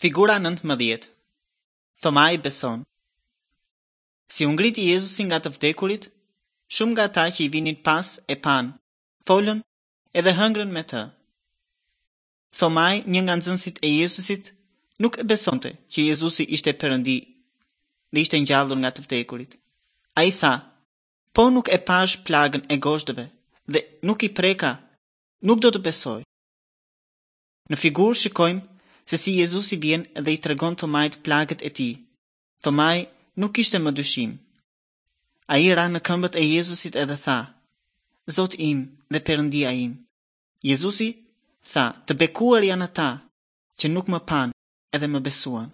Figura 19. Thomai beson. Si u ngriti Jezusi nga të vdekurit, shumë nga ata që i vinin pas e panë, folën edhe hëngrën me të. Thomai, një nga nxënësit e Jezusit, nuk e besonte që Jezusi ishte Perëndi dhe ishte ngjallur nga të vdekurit. Ai tha, po nuk e pashë plagën e gozhdëve dhe nuk i preka, nuk do të besoj. Në figurë shikojmë se si Jezusi vjen dhe i tregon Thomait plagët e tij. Thomai nuk kishte më dyshim. Ai ra në këmbët e Jezusit edhe tha, Zoti im dhe Perëndia im. Jezusi tha, të bekuar janë ata që nuk më panë edhe më besuan.